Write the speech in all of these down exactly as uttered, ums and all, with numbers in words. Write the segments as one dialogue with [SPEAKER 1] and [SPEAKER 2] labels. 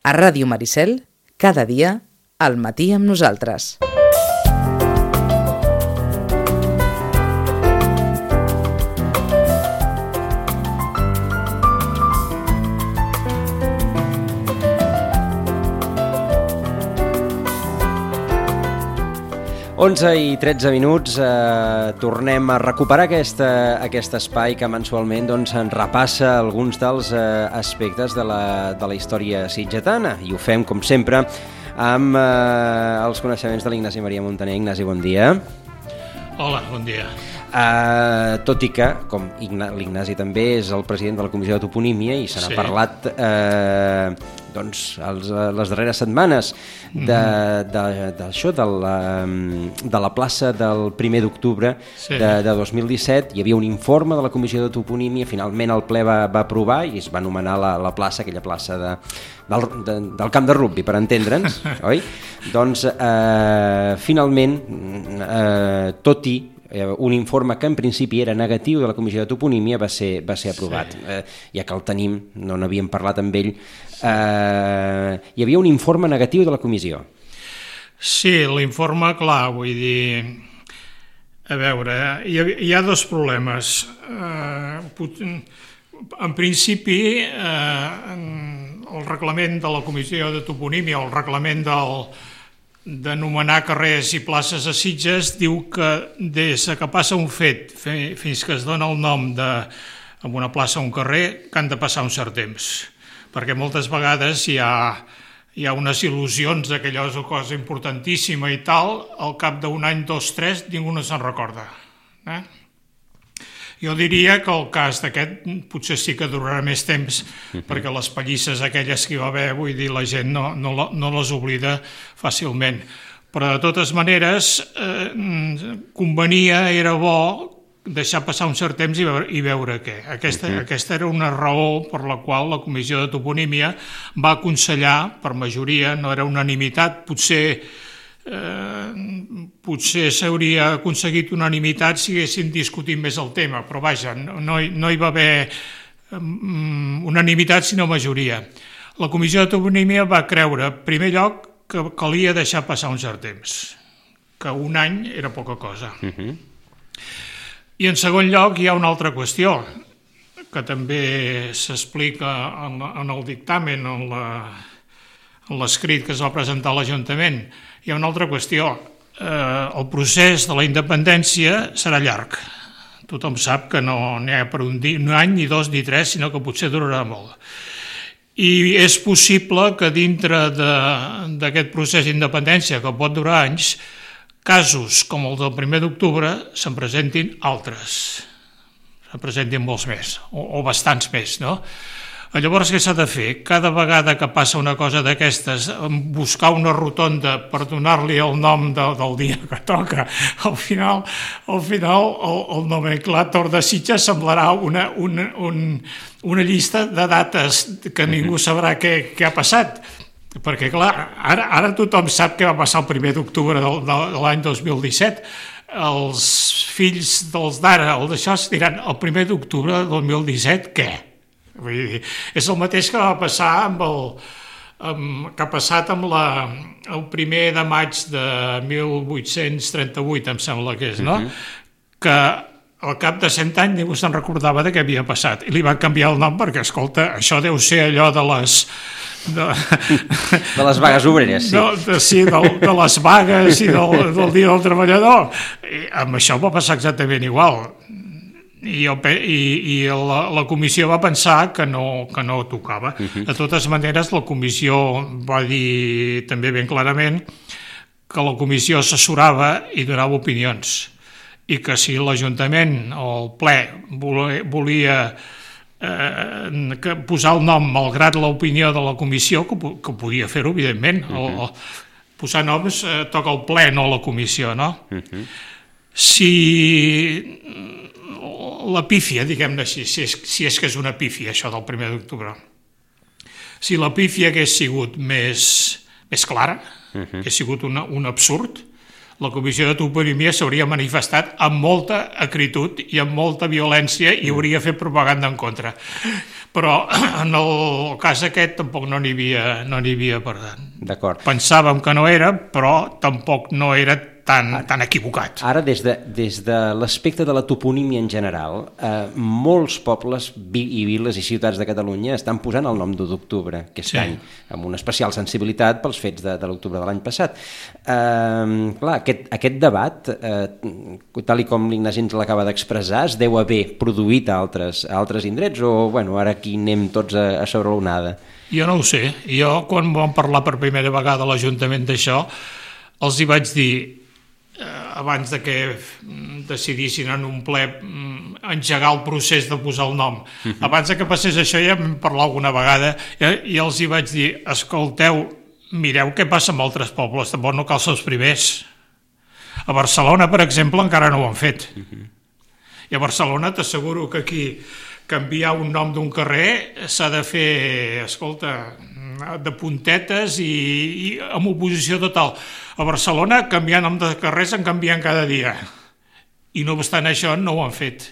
[SPEAKER 1] A Ràdio Maricel, cada dia, al matí amb nosaltres.
[SPEAKER 2] onze i tretze minuts, eh, tornem a recuperar aquesta, aquest espai que mensualment doncs, ens repassa alguns dels eh, aspectes de la, de la història sitgetana, i ho fem, com sempre, amb eh, els coneixements de l'Ignasi Maria Montaner. Ignasi, bon dia.
[SPEAKER 3] Hola, bon dia.
[SPEAKER 2] Uh, tot i que, com l'Ignasi també és el president de la Comissió de Toponímia i se n'ha sí. parlat uh, doncs, els, les darreres setmanes d'això, de, de, de, la, de la plaça del primer d'octubre sí. de, de dos mil disset. Hi havia un informe de la Comissió de Toponímia, finalment el ple va, va aprovar i es va anomenar la, la plaça, aquella plaça de, del, de, del camp de rugbi, per entendre'ns, oi? Doncs uh, finalment, uh, tot i un informe que en principi era negatiu de la Comissió de Toponímia va ser, va ser aprovat. Sí. Eh, ja que el tenim, no n'havíem parlat amb ell, eh, hi havia un informe negatiu de la comissió.
[SPEAKER 3] Sí, l'informe, clar, vull dir, a veure, hi ha, hi ha dos problemes. Eh, en principi, eh, el reglament de la Comissió de Toponímia, el reglament del d'anomenar carrers i places a Sitges, diu que des que passa un fet fins que es dona el nom de, en una plaça o un carrer, que han de passar un cert temps, perquè moltes vegades hi ha, hi ha unes il·lusions que allò és una cosa importantíssima i tal, al cap d'un any, dos, tres, ningú no se'n recorda. Eh? Jo diria que el cas d'aquest potser sí que durarà més temps, perquè les pallisses aquelles que hi va haver, vull dir, la gent no, no, no les oblida fàcilment. Però de totes maneres, eh, convenia, era bo deixar passar un cert temps i veure, i veure què. Aquesta, uh-huh. aquesta era una raó per la qual la Comissió de Toponímia va aconsellar, per majoria, no era unanimitat, potser Eh, potser s'hauria aconseguit unanimitat si haguéssim discutit més el tema, però vaja, no, no, hi, no hi va haver um, unanimitat sinó majoria. La Comissió de Toponímia va creure, en primer lloc, que calia deixar passar un cert temps, que un any era poca cosa. Uh-huh. I en segon lloc hi ha una altra qüestió, que també s'explica en, en el dictamen, en la en l'escrit que es va presentar a l'Ajuntament. Hi ha una altra qüestió. Eh, el procés de la independència serà llarg. Tothom sap que no n'hi ha per un, dia, un any, ni dos, ni tres, sinó que potser durarà molt. I és possible que dintre d'aquest procés d'independència, que pot durar anys, casos com el del primer d'octubre se'n presentin altres. Se'n presentin molts més, o, o bastants més, no? Llavors, què s'ha de fer? Cada vegada que passa una cosa d'aquestes, buscar una rotonda per donar-li el nom de, del dia que toca. Al final, al final el, el nomenclàtor de Sitges semblarà una, una, un, una llista de dates que ningú sabrà què, què ha passat. Perquè, clar, ara, ara tothom sap què va passar el primer d'octubre de, de, de l'any dos mil disset. Els fills dels d'ara, el d'això, es diran el primer d'octubre de dos mil disset, què? Vull dir, és el mateix que va passar amb el, amb, que ha passat amb la, el primer de maig de mil vuit-cents trenta-vuit, em sembla que és, no? Uh-huh. Que al cap de cent anys ningú se'n recordava de què havia passat i li van canviar el nom perquè, escolta, això deu ser allò de les de,
[SPEAKER 2] de les vagues obreres, sí.
[SPEAKER 3] De, de, sí, de, de les vagues i del, del Dia del Treballador. I amb això va passar exactament igual. I, el, i, i la, la comissió va pensar que no, que no tocava. Uh-huh. De totes maneres, la comissió va dir també ben clarament que la comissió assessorava i donava opinions i que si l'Ajuntament o el ple volia, volia eh, que posar el nom malgrat l'opinió de la comissió, que, que podia fer-ho, evidentment. Uh-huh. el, el, posar noms eh, toca el ple, no la comissió, no? Uh-huh. Si la pífia, diguem-ne així, si és, si és que és una pífia, això del primer d'octubre. Si la pífia hagués sigut més, més clara, uh-huh. hagués sigut una, un absurd, la Comissió de Toponímia s'hauria manifestat amb molta acritud i amb molta violència i hauria fet propaganda en contra. Però en el cas aquest tampoc no n'hi havia, no n'hi havia per tant.
[SPEAKER 2] D'acord.
[SPEAKER 3] Pensàvem que no era, però tampoc no era tan, tan equivocat.
[SPEAKER 2] Ara, des de, des de l'aspecte de la toponímia en general, eh, molts pobles i viles i ciutats de Catalunya estan posant el nom d'u d'octubre aquest sí. any, amb una especial sensibilitat pels fets de, de l'octubre de l'any passat. Eh, clar, aquest, aquest debat, eh, tal i com l'Ignasi ens l'acaba d'expressar, es deu haver produït a altres, a altres indrets o bueno, ara aquí anem tots a, a sobre l'onada?
[SPEAKER 3] Jo no ho sé. Jo, quan vam parlar per primera vegada a l'Ajuntament d'això, els hi vaig dir, eh, abans de que decidissin en un ple engegar el procés de posar el nom, uh-huh. abans de que passés això ja vam parlar alguna vegada eh, i els hi vaig dir, escolteu, mireu què passa amb altres pobles, tampoc no cal ser els primers. A Barcelona, per exemple, encara no ho han fet. Uh-huh. I a Barcelona t'asseguro que aquí canviar un nom d'un carrer s'ha de fer, escolta, de puntetes i, i amb oposició total. A Barcelona, canviar nom de carrers en canvien cada dia. I no obstant això, no ho han fet.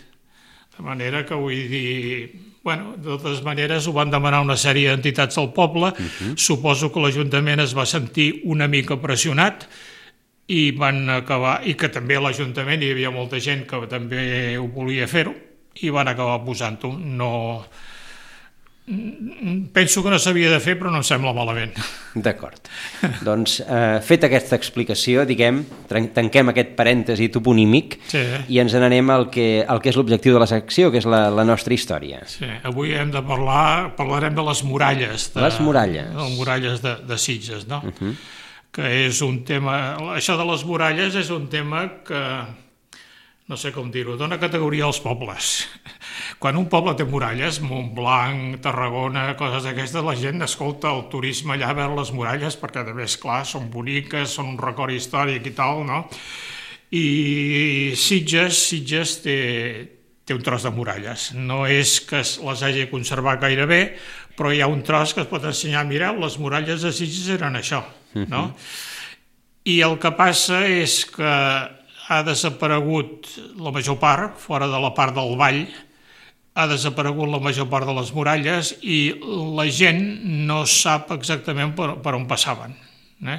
[SPEAKER 3] De manera que vull dir... Bueno, de totes maneres, ho van demanar una sèrie d'entitats al poble. Uh-huh. Suposo que l'Ajuntament es va sentir una mica pressionat i van acabar... I que també a l'Ajuntament hi havia molta gent que també ho volia fer-ho i van acabar posant-ho. No... Penso que no s'havia de fer, però no em sembla malament.
[SPEAKER 2] D'acord. Doncs, eh, feta aquesta explicació, diguem, tanquem aquest parèntesi toponímic sí. i ens n'anem al que, al que és l'objectiu de la secció, que és la, la nostra història.
[SPEAKER 3] Sí, avui hem de parlar, parlarem de les muralles. De,
[SPEAKER 2] les muralles.
[SPEAKER 3] De les muralles de, de Sitges, no?
[SPEAKER 2] Uh-huh.
[SPEAKER 3] Que és un tema... Això de les muralles és un tema que... no sé com dir-ho, dona categoria als pobles. Quan un poble té muralles, Montblanc, Tarragona, coses d'aquestes, la gent escolta el turisme allà a veure les muralles, perquè també, esclar, són boniques, són un record històric i tal, no? I Sitges, Sitges té, té un tros de muralles. No és que les hagi conservat gaire bé, però hi ha un tros que es pot ensenyar, mireu, les muralles de Sitges eren això, no? I el que passa és que ha desaparegut la major part, fora de la part del vall, ha desaparegut la major part de les muralles i la gent no sap exactament per, per on passaven. Eh?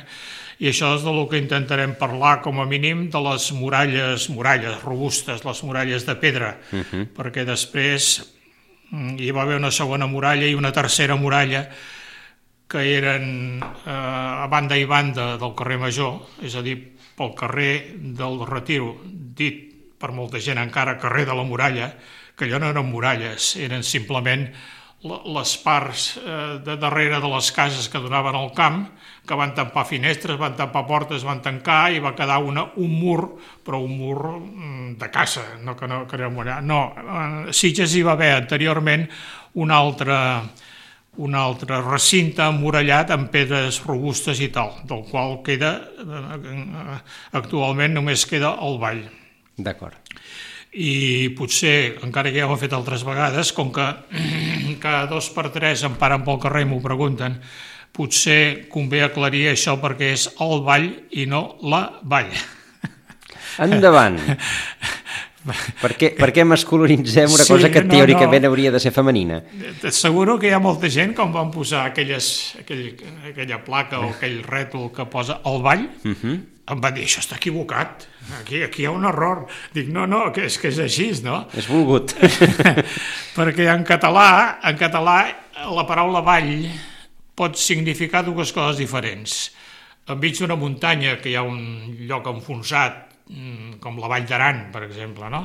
[SPEAKER 3] I això és del que intentarem parlar, com a mínim, de les muralles, muralles robustes, les muralles de pedra, uh-huh. perquè després hi va haver una segona muralla i una tercera muralla que eren eh, a banda i banda del carrer Major, és a dir, pel carrer del Retiro, dit per molta gent encara carrer de la Muralla, que allò no eren muralles, eren simplement les parts de darrere de les cases que donaven al camp, que van tampar finestres, van tampar portes, van tancar i va quedar una, un mur, però un mur de casa, no que no que era muralla. No, a Sitges hi va haver anteriorment un altre, un altre recinte emmurallat amb pedres robustes i tal, del qual queda, actualment només queda el vall.
[SPEAKER 2] D'acord.
[SPEAKER 3] I potser, encara que ja ho he fet altres vegades, com que cada dos per tres em paren pel carrer i m'ho pregunten, potser convé aclarir això perquè és el vall i no la vall.
[SPEAKER 2] Endavant. Per què, per què masculinitzem una sí, cosa que teòricament no, no. hauria de ser femenina?
[SPEAKER 3] T'asseguro que hi ha molta gent, com van posar aquelles, aquell, aquella placa o aquell rètol que posa el vall, uh-huh. em va dir, això està equivocat, aquí, aquí hi ha un error. Dic, no, no, que és que és així, no?
[SPEAKER 2] És volgut.
[SPEAKER 3] Perquè en català, en català la paraula vall pot significar dues coses diferents. Enmig d'una muntanya, que hi ha un lloc enfonsat, com la Vall d'Aran, per exemple, no?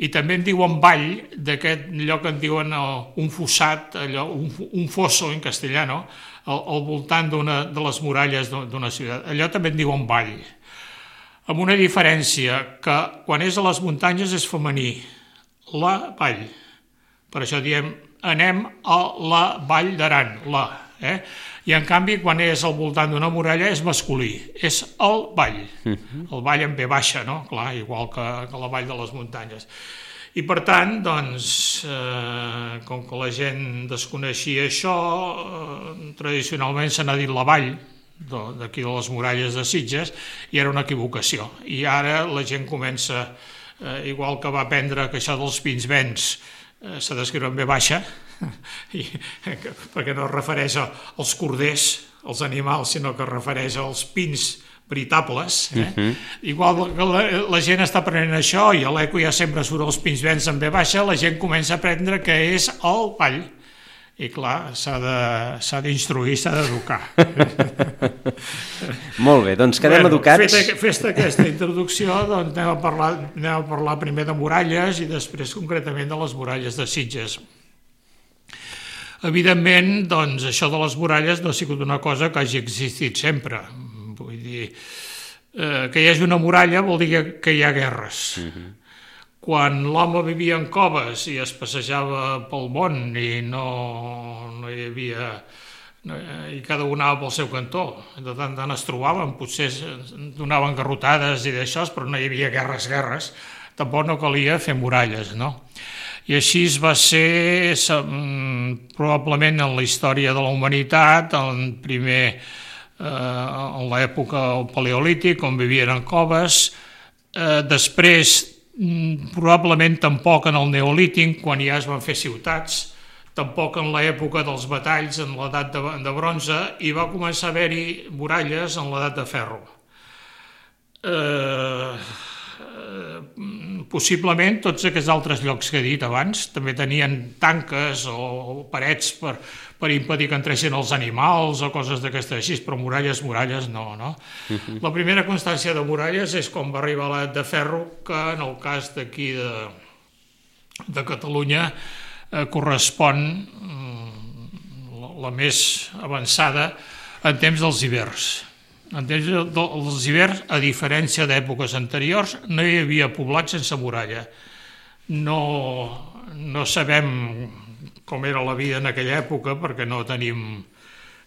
[SPEAKER 3] I també en diuen vall, d'aquest lloc en diuen un fossat, allò, un, un fosso en castellà, no? Al, al voltant d'una de les muralles d'una ciutat. Allò també en diuen vall. Amb una diferència, que quan és a les muntanyes és femení, la vall. Per això diem, anem a la Vall d'Aran, la, eh? I en canvi quan és al voltant d'una muralla és masculí, és el vall, uh-huh. el vall en ve baixa, no? Clar, igual que, que la vall de les muntanyes. I per tant, doncs, eh, com que la gent desconeixia això, eh, tradicionalment se n'ha dit la vall, d'aquí de les muralles de Sitges, i era una equivocació. I ara la gent comença, eh, igual que va aprendre que això dels pins vents eh, s'ha d'escriure en ve baixa, i, perquè no es refereix als corders, als animals, sinó que es refereix als pins veritables. Eh? Uh-huh. Igual que la, la gent està aprenent això, i a l'eco ja sempre surt els pins vents en ve baixa, la gent comença a aprendre que és el ball. I clar, s'ha d'instruir, s'ha d'educar.
[SPEAKER 2] Molt bé, doncs quedem bueno, educats.
[SPEAKER 3] Feta, festa aquesta introducció, doncs anem a, parlar, anem a parlar primer de muralles i després concretament de les muralles de Sitges. Evidentment, doncs, això de les muralles no ha sigut una cosa que hagi existit sempre. Vull dir, eh, que hi hagi una muralla vol dir que, que hi ha guerres. Uh-huh. Quan l'home vivia en coves i es passejava pel món i no, no hi havia... No, i cada un anava pel seu cantó, de tant en tant es trobaven, potser donaven garrotades i d'això, però no hi havia guerres, guerres, tampoc no calia fer muralles, no? I així va ser, probablement en la història de la humanitat, en primer, eh, en l'època paleolític, on vivien en coves, eh, després, probablement tampoc en el neolític, quan ja es van fer ciutats, tampoc en l'època dels batalls, en l'edat de, de bronze, i va començar a haver-hi muralles en l'edat de ferro. Eh, eh, possiblement tots aquests altres llocs que he dit abans també tenien tanques o, o parets per, per impedir que entressin els animals o coses d'aquestes així, però muralles, muralles no, no? Uh-huh. La primera constància de muralles és quan va arribar l'edat de ferro, que en el cas d'aquí de, de Catalunya eh, correspon eh, la, la més avançada en temps dels hiverns. En temps dels hiverns, a diferència d'èpoques anteriors, no hi havia poblat sense muralla. No, no sabem com era la vida en aquella època, perquè no tenim,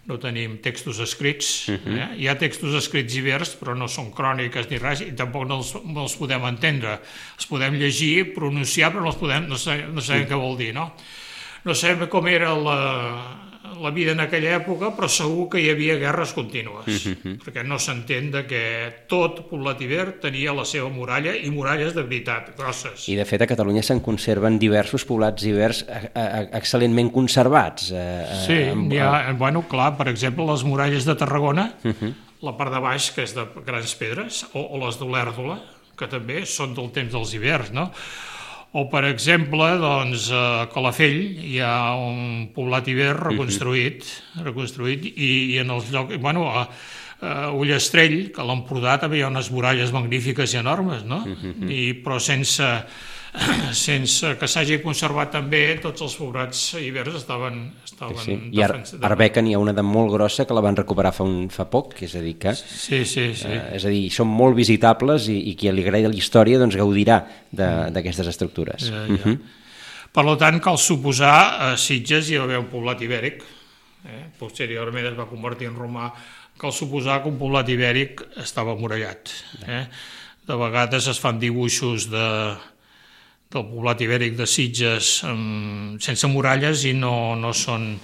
[SPEAKER 3] no tenim textos escrits. Uh-huh. eh? Hi ha textos escrits ibers, però no són cròniques ni res, i tampoc no els, no els podem entendre. Els podem llegir, pronunciar, però no, els podem, no, sabem, no sabem uh-huh. què vol dir, no? No sabem com era la, la vida en aquella època, però segur que hi havia guerres contínues, uh-huh. perquè no s'entén que tot poblat iber tenia la seva muralla, i muralles de veritat, grosses.
[SPEAKER 2] I de fet a Catalunya se'n conserven diversos poblats ibers excel·lentment conservats. Eh,
[SPEAKER 3] sí, amb, ha, bueno, clar, per exemple, les muralles de Tarragona, uh-huh. la part de baix, que és de grans pedres, o, o les d'Olèrdola, que també són del temps dels ibers, no? O, per exemple, doncs, a Calafell hi ha un poblat iber reconstruït, uh-huh. reconstruït i, i en els llocs... Bueno, a, a Ullastrell, que a l'Empordà també hi ha unes muralles magnífiques i enormes, no? Uh-huh. I, però sense, sense que s'hagi conservat també, tots els poblats ibers estaven... estaven
[SPEAKER 2] sí, sí. I a Arbeca n'hi ha una de molt grossa que la van recuperar fa, un, fa poc, és a dir que...
[SPEAKER 3] Sí, sí, sí.
[SPEAKER 2] Eh, és a dir, són molt visitables i, i qui li agrada la història doncs gaudirà d'aquestes mm. estructures. Ja, ja. Uh-huh.
[SPEAKER 3] Per tant, cal suposar, a Sitges hi va haver un poblat ibèric, eh? posteriorment es va convertir en romà, cal suposar que un poblat ibèric estava murallat. Eh? De vegades es fan dibuixos de... del poblat ibèric de Sitges um, sense muralles i no, no són...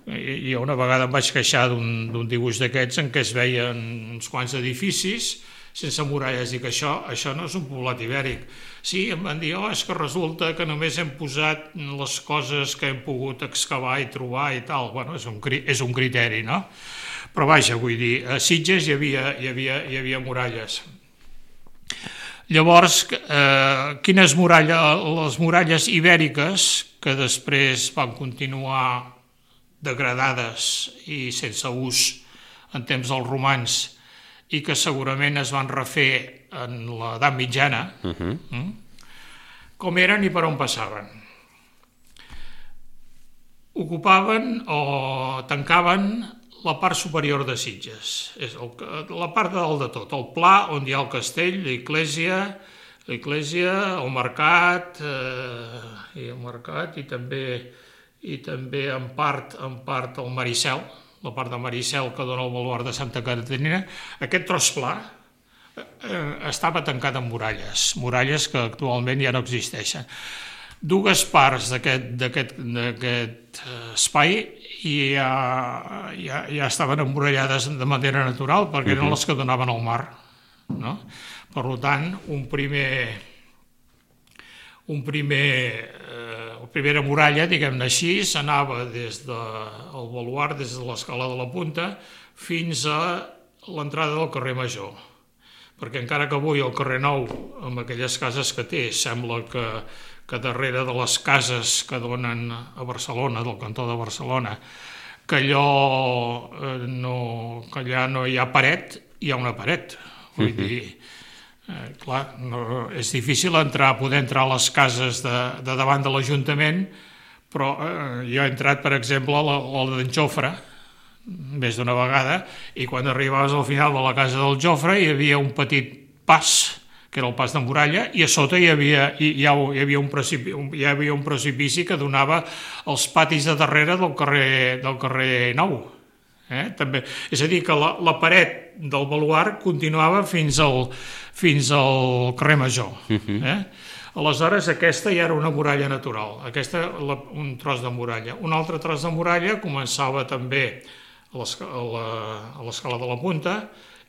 [SPEAKER 3] Jo una vegada em vaig queixar d'un dibuix d'aquests en què es veien uns quants edificis sense muralles i que això, això no és un poblat ibèric. Sí, em van dir, oh, és que resulta que només hem posat les coses que hem pogut excavar i trobar i tal. Bueno, és un, és un criteri, no? Però vaja, vull dir, a Sitges hi havia, hi havia, hi havia muralles. Llavors, eh, quines muralles? Les muralles ibèriques, que després van continuar degradades i sense ús en temps dels romans i que segurament es van refer en l'edat mitjana, uh-huh. com eren i per on passaven. Ocupaven o tancaven la part superior de Sitges, és el, la part de dalt de tot, el pla on hi ha el castell, l'església, l'església, el mercat, eh, i el mercat i també, i també en part, en part el Maricel, la part de Maricel que dona el baluard de Santa Caterina. Aquest tros pla eh, estava tancat amb muralles, muralles que actualment ja no existeixen. dues parts d'aquest espai ja, ja, ja estaven emmurallades de manera natural perquè eren les que donaven al mar, no? Per tant, un primer un primer eh, la primera muralla, diguem-ne així, s'anava des del baluard, des de l'escala de la Punta fins a l'entrada del carrer Major, perquè encara que avui el carrer Nou, amb aquelles cases que té, sembla que que darrere de les cases que donen a Barcelona, del cantó de Barcelona, que allò no, que allà no hi ha paret, hi ha una paret. Vull dir, eh, clar, no, és difícil entrar, poder entrar a les cases de, de davant de l'Ajuntament, però eh, jo he entrat, per exemple, a la, a la d'en Jofre, més d'una vegada, i quan arribaves al final de la casa del Jofre hi havia un petit pas, que era el pas de muralla, i a sota hi havia, hi, hi havia, un, precipici, hi havia un precipici que donava als patis de darrere del carrer, del carrer Nou. Eh? També, és a dir, que la, la paret del baluard continuava fins al, fins al carrer Major. Eh? Aleshores, aquesta ja era una muralla natural, aquesta la, un tros de muralla. Un altre tros de muralla començava també a l'escala de la Punta,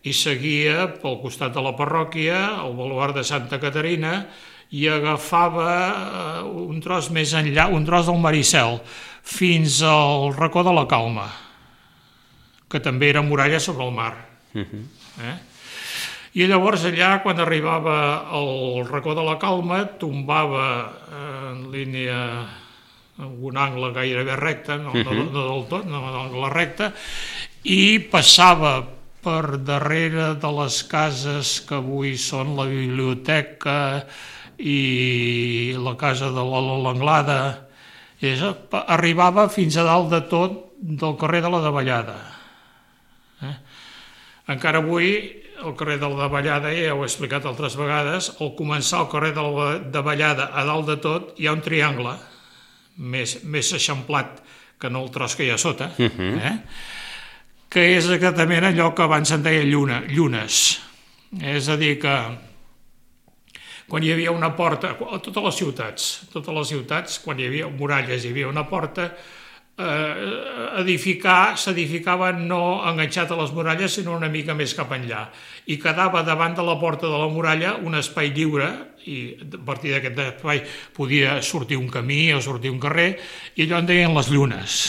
[SPEAKER 3] i seguia pel costat de la parròquia, el baluard de Santa Caterina, i agafava un tros més enllà, un tros del Maricel, fins al racó de la Calma, que també era muralla sobre el mar. Eh? I llavors allà, quan arribava al racó de la Calma, tombava en línia, en un angle gairebé recte, no, no, no del tot, no un angle recte, i passava per darrere de les cases que avui són la biblioteca i la casa de l'Anglada, arribava fins a dalt de tot del carrer de la Davallada. Eh? Encara avui, el carrer de la Davallada, ja ho he explicat altres vegades, al començar el carrer de la Davallada a dalt de tot hi ha un triangle més, més eixamplat que no el tros que hi ha sota, eh? que és exactament allò que abans se'n deia lluna, llunes. És a dir, que quan hi havia una porta, a totes les ciutats, totes les ciutats, quan hi havia muralles hi havia una porta, eh, edificar, s'edificava no enganxat a les muralles, sinó una mica més cap enllà. I quedava davant de la porta de la muralla un espai lliure, i a partir d'aquest espai podia sortir un camí o sortir un carrer, i allò en deien les llunes.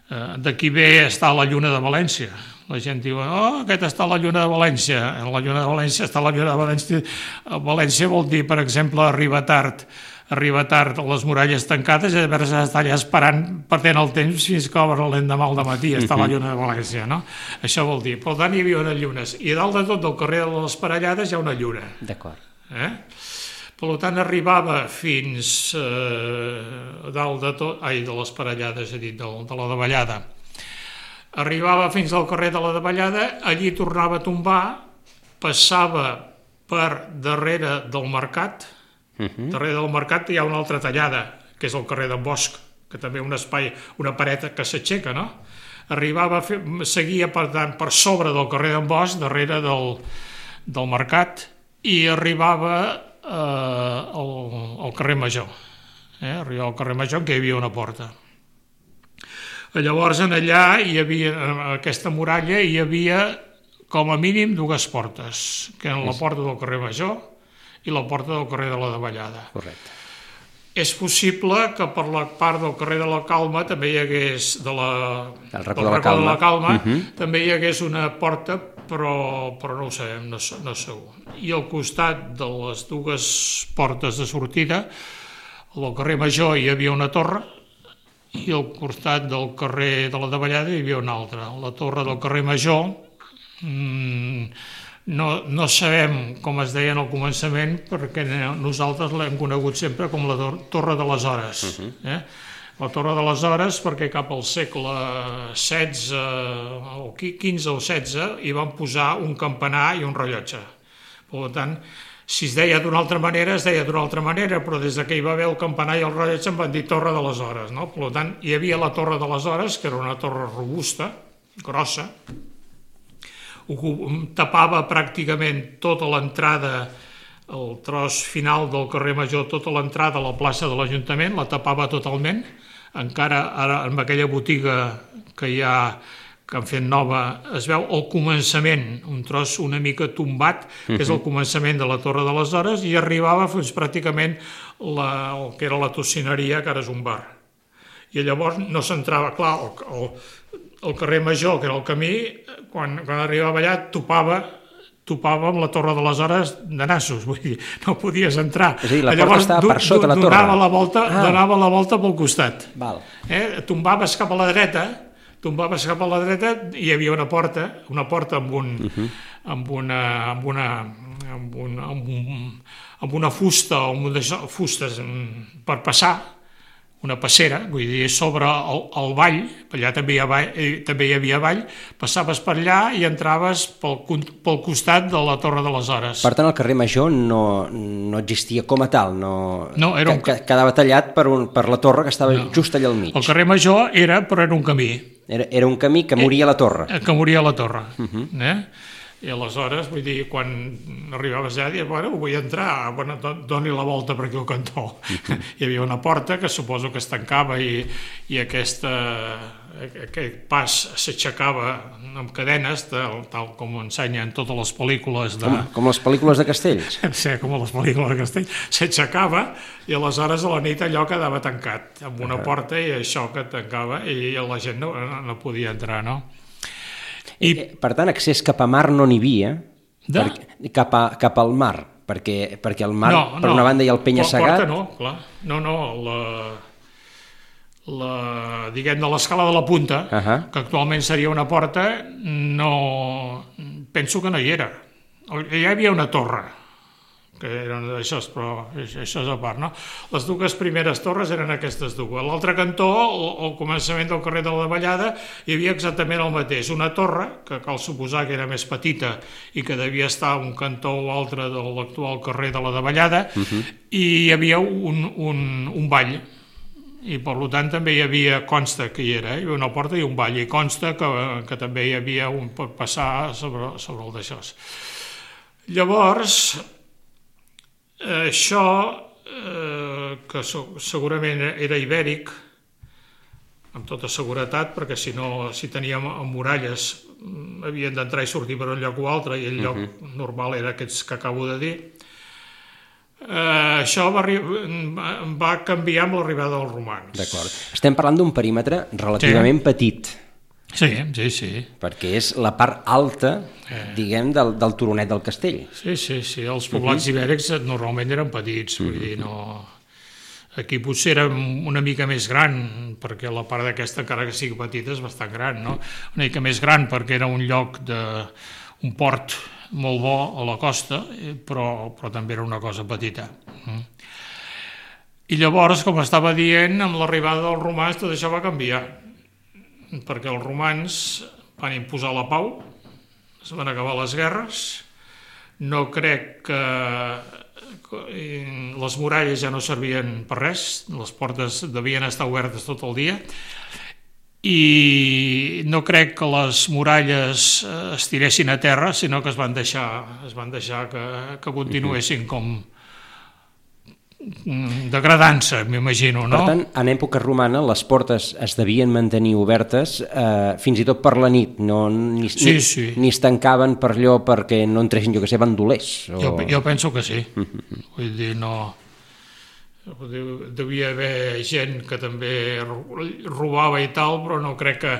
[SPEAKER 3] D'aquí ve està la lluna de València. La gent diu, oh, aquest està la lluna de València. La lluna de València està la lluna de València. València vol dir, per exemple, arribar tard. Arribar tard a les muralles tancades i llavors està allà esperant, perdent el temps fins que obre l'endemà al dematí. Està la lluna de València, no? Això vol dir. Per tant, hi havia unes llunes. I dalt de tot del carrer de les Parellades hi ha una lluna.
[SPEAKER 2] D'acord.
[SPEAKER 3] Eh? Per tant, arribava fins eh, dalt de tot, ai, de les Parellades, he dit, de, de la Davallada. Arribava fins al carrer de la Davallada, allí tornava a tombar, passava per darrere del mercat, uh-huh. darrere del mercat hi ha una altra tallada, que és el carrer d'en Bosch, que també un espai, una paret que s'aixeca, no? Arribava, a fer, seguia per, tant, per sobre del carrer d'en Bosch, darrere del, del mercat, i arribava Eh, al, al carrer Major, eh? Arribava al carrer Major en què hi havia una porta. Llavors en allà hi havia, en aquesta muralla hi havia com a mínim dues portes, que eren la porta del carrer Major i la porta del carrer de la Davallada.
[SPEAKER 2] Correcte.
[SPEAKER 3] És possible que per la part del carrer de la Calma també hi hagués, de la,
[SPEAKER 2] del racó de la Calma, de la Calma
[SPEAKER 3] uh-huh. també hi hagués una porta, però, però no ho sabem, no, no segur. I al costat de les dues portes de sortida, al carrer Major hi havia una torre i al costat del carrer de la Davallada hi havia una altra. La torre del carrer Major mmm, no, no sabem com es deia al començament perquè nosaltres l'hem conegut sempre com la Torre de les Hores. Uh-huh. eh? La Torre de les Hores perquè cap al segle setze o quinze o setze hi van posar un campanar i un rellotge. Per tant, si es deia d'una altra manera, es deia d'una altra manera, però des que hi va haver el campanar i el rellotge en van dir Torre de les Hores. No? Per tant, hi havia la Torre de les Hores, que era una torre robusta, grossa, tapava pràcticament tota l'entrada el tros final del carrer Major, tota l'entrada a la plaça de l'Ajuntament, la tapava totalment. Encara ara amb aquella botiga que hi ha, que han fet nova, es veu el començament, un tros una mica tombat, que és el començament de la Torre de les Hores, i arribava fins pràcticament la, el que era la tocineria, que ara és un bar. I llavors no s'entrava, clar, el, el, el carrer Major, que era el camí, quan, quan arribava allà topava topava amb la Torre de les Hores de nassos, vull dir, no podies entrar.
[SPEAKER 2] És a dir, la porta estava per sota la torre.
[SPEAKER 3] Donava la volta, ah. donava la volta pel costat.
[SPEAKER 2] Val.
[SPEAKER 3] Eh? Tombaves cap a la dreta, tombaves cap a la dreta, i hi havia una porta, una porta amb un, uh-huh. amb una, amb una, amb un, amb un, amb una fusta, amb una fustes per passar, una passera, vull dir, sobre el, el vall, allà també hi, havia, també hi havia vall, passaves per allà i entraves pel, pel costat de la Torre de les Hores.
[SPEAKER 2] Per tant, el carrer Major no, no existia com a tal, no,
[SPEAKER 3] no era un...
[SPEAKER 2] que, quedava tallat per, un, per la torre que estava no. just allà al mig.
[SPEAKER 3] El carrer Major era, però era un camí.
[SPEAKER 2] Era, era un camí que moria a la torre.
[SPEAKER 3] Que moria a la torre,
[SPEAKER 2] uh-huh.
[SPEAKER 3] eh? I aleshores, vull dir, quan arribaves allà, dius, bueno, vull entrar, bueno, doni la volta per aquí al cantó. Uh-huh. Hi havia una porta que suposo que es tancava i, i aquesta, aquest pas s'aixecava amb cadenes, tal, tal com ensenyen totes les pel·lícules de...
[SPEAKER 2] Com, com les pel·lícules de Castells.
[SPEAKER 3] Sí, com les pel·lícules de Castells. S'aixecava i aleshores a la nit allò quedava tancat, amb una uh-huh. porta i això que tancava i la gent no, no podia entrar, no?
[SPEAKER 2] I, per tant, accés cap a mar no n'hi havia,
[SPEAKER 3] de...
[SPEAKER 2] perquè, cap, a, cap al mar, perquè, perquè el mar,
[SPEAKER 3] no,
[SPEAKER 2] per
[SPEAKER 3] no,
[SPEAKER 2] una banda, hi ha el penya-segat...
[SPEAKER 3] Porta no, clar. No, no, la, la, diguem, de l'escala de la punta, uh-huh. que actualment seria una porta, no... penso que no hi era. Hi havia una torre, que eren això, però això és a part, no? Les dues primeres torres eren aquestes dues. A l'altre cantó, al començament del carrer de la Davallada, hi havia exactament el mateix. Una torre, que cal suposar que era més petita i que devia estar un cantó o altre de l'actual carrer de la Davallada, uh-huh. i hi havia un, un, un vall. I per tant també hi havia, consta que hi era, hi havia una porta i un vall, i consta que, que també hi havia un per passar sobre, sobre el d'això. Llavors, això, eh, que segurament era ibèric, amb tota seguretat, perquè si no, si teníem muralles, havien d'entrar i sortir per un lloc o altre, i el lloc uh-huh. normal era aquests que acabo de dir. Eh, això va, va canviar amb l'arribada dels romans.
[SPEAKER 2] D'acord. Estem parlant d'un perímetre relativament sí. petit.
[SPEAKER 3] Sí, sí, sí.
[SPEAKER 2] Perquè és la part alta, eh. diguem, del, del turonet del castell.
[SPEAKER 3] Sí, sí, sí. Els poblats uh-huh. ibèrics normalment eren petits, vull uh-huh. dir, no... Aquí potser era una mica més gran, perquè la part d'aquesta, encara que sigui petita, és bastant gran, no? Una mica més gran perquè era un lloc de... un port molt bo a la costa, però, però també era una cosa petita. I llavors, com estava dient, amb l'arribada dels romans tot això va canviar, perquè els romans van imposar la pau, es van acabar les guerres, no crec que les muralles ja no servien per res, les portes devien estar obertes tot el dia, i no crec que les muralles es tiressin a terra, sinó que es van deixar, es van deixar que, que continuessin com degradant-se, m'imagino, no?
[SPEAKER 2] Per tant, en època romana les portes es devien mantenir obertes eh, fins i tot per la nit, no, ni,
[SPEAKER 3] sí, sí.
[SPEAKER 2] ni, ni es tancaven per allò perquè no entressin, jo que sé, bandolers. O...
[SPEAKER 3] Jo, jo penso que sí. Vull dir, no... Devia haver gent que també robava i tal, però no crec que,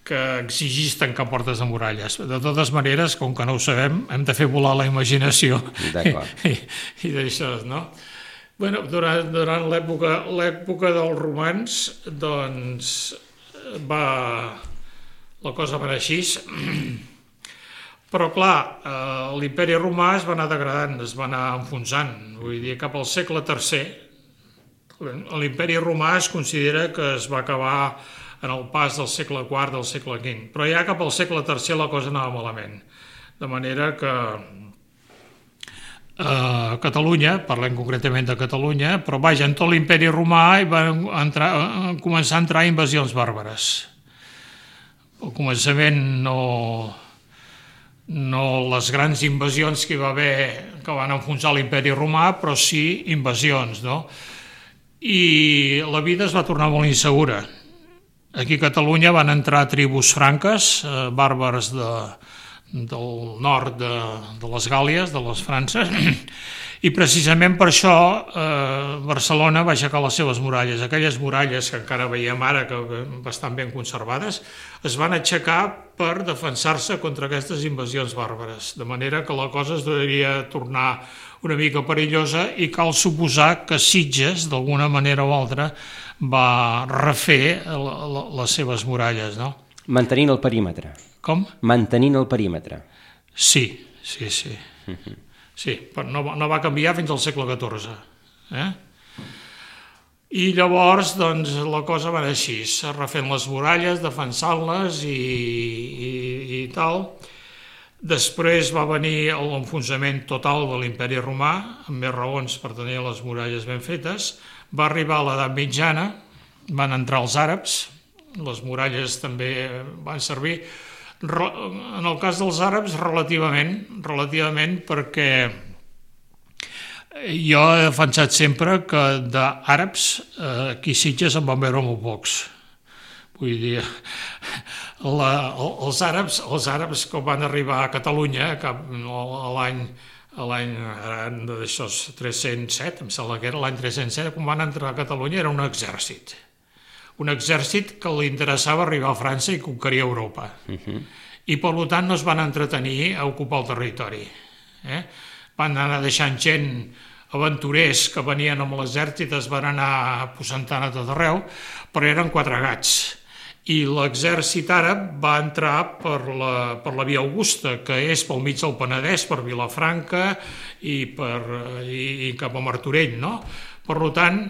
[SPEAKER 3] que exigís tancar portes de muralles. De totes maneres, com que no ho sabem, hem de fer volar la imaginació.
[SPEAKER 2] D'acord.
[SPEAKER 3] I, i d'això, no? Bueno, durant, durant l'època l'època dels romans, doncs, va, la cosa va anar així, però clar, eh, l'imperi romà es va anar degradant, es va anar enfonsant, vull dir, cap al segle tercer, l'imperi romà es considera que es va acabar en el pas del segle quart, del segle quint, però ja cap al segle tercer la cosa anava malament, de manera que a Catalunya, parlem concretament de Catalunya, però vaja, en tot l'imperi romà hi van entrar, començar a entrar invasions bàrbares. Al començament no, no les grans invasions que hi va haver, que van enfonsar l'imperi romà, però sí invasions, no? I la vida es va tornar molt insegura. Aquí a Catalunya van entrar tribus franques, eh, bàrbars de, del nord de, de les Gàlies, de les Frances, i precisament per això eh, Barcelona va aixecar les seves muralles. Aquelles muralles que encara veiem ara, que bastant ben conservades, es van aixecar per defensar-se contra aquestes invasions bàrbares, de manera que la cosa es devia tornar una mica perillosa i cal suposar que Sitges, d'alguna manera o altra, va refer les seves muralles, no?
[SPEAKER 2] Mantenint el perímetre.
[SPEAKER 3] Com?
[SPEAKER 2] Mantenint el perímetre.
[SPEAKER 3] Sí, sí, sí. Uh-huh. Sí, però no, no va canviar fins al segle catorze. Eh? I llavors, doncs, la cosa va anar així, refent les muralles, defensant-les i, i, i tal. Després va venir l'enfonsament total de l'imperi romà, amb més raons per tenir les muralles ben fetes. Va arribar l'edat mitjana, van entrar els àrabs, les muralles també van servir. En el cas dels àrabs, relativament, relativament perquè jo he defensat sempre que d'àrabs aquí a Sitges en van veure molt pocs. Vull dir, la, els, àrabs, els àrabs que van arribar a Catalunya cap, a l'any l'any d'això tres-cents set, em sembla que era l'any tres-cents set, quan van entrar a Catalunya era un exèrcit. Un exèrcit que li interessava arribar a França i conquerir Europa. Uh-huh. I per tant no es van entretenir a ocupar el territori. Eh? Van anar deixant gent, aventurers que venien amb l'exèrcit, es van anar aposentant a tot arreu, però eren quatre gats. I l'exèrcit àrab va entrar per la, per la via Augusta, que és pel mig del Penedès, per Vilafranca i, per, i, i cap a Martorell, no? Per tant,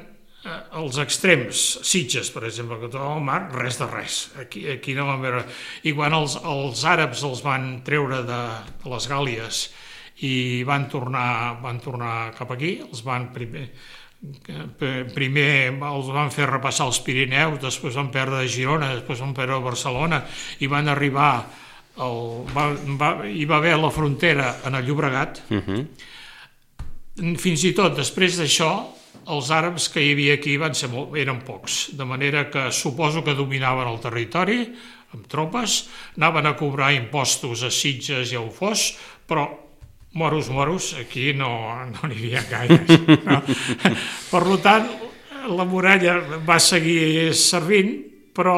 [SPEAKER 3] els extrems, Sitges, per exemple, que troba al mar, res de res. Aquí, aquí no van veure... I quan els, els àrabs els van treure de, de les Gàlies i van tornar, van tornar cap aquí, els van primer, primer els van fer repassar els Pirineus, després van perdre Girona, després van perdre Barcelona i van arribar... El, va, va, hi va haver la frontera en el Llobregat. Uh-huh. Fins i tot, després d'això, els àrabs que hi havia aquí van ser molt, eren pocs, de manera que suposo que dominaven el territori amb tropes, anaven a cobrar impostos a Sitges i a Ufós, però moros, moros, aquí no n'hi havia gaires. No? Per tant, la muralla va seguir servint, però,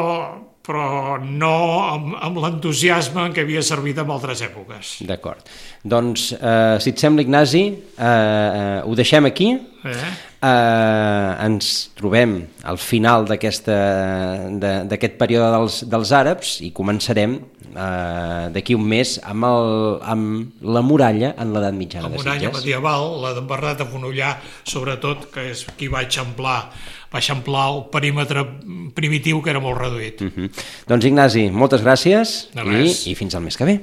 [SPEAKER 3] però no amb, amb l'entusiasme en què havia servit en altres èpoques.
[SPEAKER 2] D'acord. Doncs, eh, si et sembla, Ignasi, eh, eh, ho deixem aquí. Eh? Eh, ens trobem al final d'aquest període dels, dels àrabs i començarem eh, d'aquí un mes amb, el, amb la muralla en l'edat mitjana de Sitges.
[SPEAKER 3] La muralla medieval, la d'en Bernat de Fonollar, sobretot, que és qui va eixamplar, va eixamplar el perímetre primitiu, que era molt reduït.
[SPEAKER 2] Uh-huh. Doncs, Ignasi, moltes gràcies i, i fins al mes que ve.